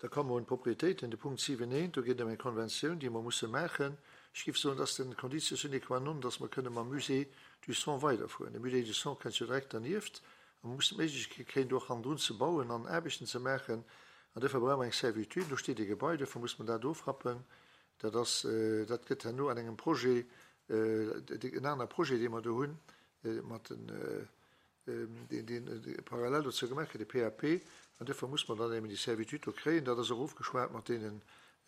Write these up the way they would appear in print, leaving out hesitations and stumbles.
Da komme mer un d'Propriétéiten, de Punkt 7 eent, do geet et ëm eng Konventioun, déi mer musse maachen. Ech géif soen, dat ass den Conditio sine qua non, dass mer kënne mam Musée du Sang weiderfueren. De Musée du Sang kënnt jo direkt dernieft a mer mussen d'Méiglechkeet kréien, do och hannendrun ze bauen an Aarbechten ze maachen. An duerfir brauche mer eng Servitude. Do steet e Gebai, duerfir muss mer dat ofrappen. Dat ass, dat gëtt herno an engem Projet, en aner Projet, dee mer do hunn, mat den, deen, deen parallel dozou gemaach gëtt, de PAP, an duerfir muss mer dann eben déi Servitude do kréien. Dat ass och ofgeschwat mat deenen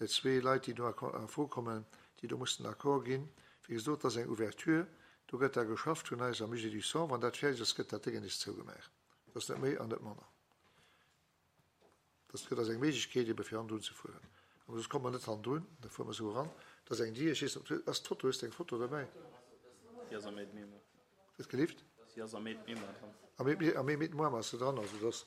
zwee Leit, déi do a Fro kommen, déi do mussen den Accord ginn. Wéi gesot, dat ass eng Ouverture, do gëtt da geschafft vun eis am Musée du Sang. Wann dat fäerdeg ass, gëtt dat Déngen nees zougemaach. Dat ass net méi an net manner. Dat gëtt eis eng Méiglechkeet ebe fir hannendrun ze fueren. Awer soss komme mer net hannendrun, da fuere mer esou eran. Dat ass eng Dier, ech weess net, ob, ass d'Foto, hues de eng Foto derbäi? Si ass am Aide-Mémoire. Wat gelift? Si ass am Aide-Mémoire dran. Am Aide-Mémoire ass se dran, also dass,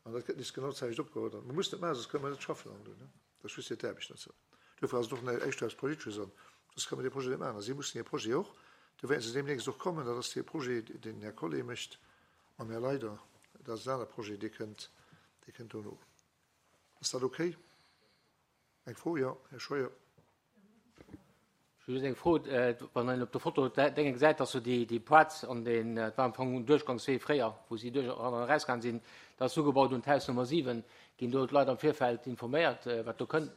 an dat gëtt nees genau d'selwecht opgeholl dann. Mer mussen et maachen, soss kënne mer net schaffen hannendrun, ne? Dat ass just fir d'Aarbecht net sou. Duerfir ass et och net éischter eppes Politesches an soss kënne mer dee Projet net maachen. A si mussen hir Projet och, do wäerte se deemnächst och kommen, dat ass dee Projet, deen den Här Collé mécht, Mam Här Leider, dat ass en aner Projet, dee kënnt, dee kënnt dono. Ass dat okay? Eng Fro? Jo, Här Scheuer. Ech hu just eng Fro. Wann een op der Foto d'Dénge gesäit, dass do déi, déi Plaz an deen, dat war am Fong en Duerchgangswee fréier, wou si duerch eran an erausgaangen sinn, dat ass ugebaut un d'Haus Nummer 7. Ginn do d'Leit am Virfeld informéiert, wat do kënnt?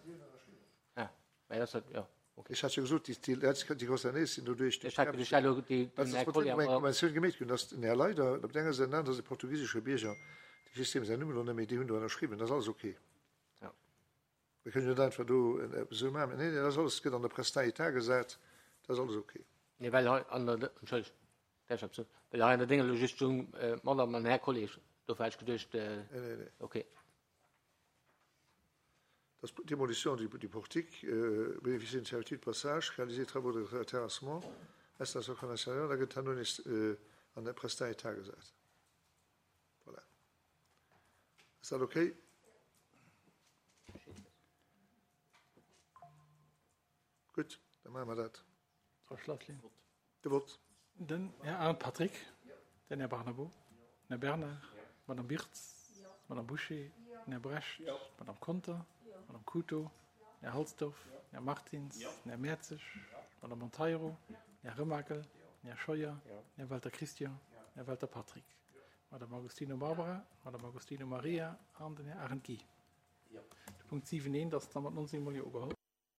Ah, mä dat ass, jo. Ech hat jo gesot, déi Leit, déi concernéiert sinn doduerch, Ech hat geduecht, elo déi, den Här Collier, eng Konventioun gemeet ginn, datt den Här Leider op der enger Säit, an der aner ass e portugisesche Bierger, ech weess deem säin Numm elo net méi, déi hunn do ënnerschriwwen, dat ass alles ok. Ja. Mir kënnen jo net einfach do eppes esou maachen. Nee, nee, dat ass alles, gëtt an der Presse d'État gesat, dat ass alles ok. Nee, well hei an der, entschëllegt, däerf ech eppes soen? Well hei an der Déng elo just stoung, Madame an Här Collier, dofir hat ech geduecht, Nee, nee, nee. ok. Das Démolition du, du portique, euh, bénéficier d'une servitude de passage, réaliser travaux de terrassement, installation conventionnelle, da gëtt herno nees äh, an der Prestat État gesat. Voilà. Ass dat okay? Gutt, da maache mer dat. Frau Schlaflin. De Vott. Den Här Arndt Patrick, den Här Barnabo, den Här Bernard, d'Madame Birtz, d'Madame Bouché, den Här Brecht, d'Madame Conter, d'Madame Couto, den Här Halsdorf, den Här Martins, den Här Mertzig, d'Madame Monteiro, den Här Remakel, den Här Scheuer, den Här Welter Christian, den Här Welter Patrick, d'Madame Agostino Barbara, d'Madame Agostino Maria an den Här Arendt Guy. De Punkt 7 eent ass da mat 19 mol Jo ugeholl.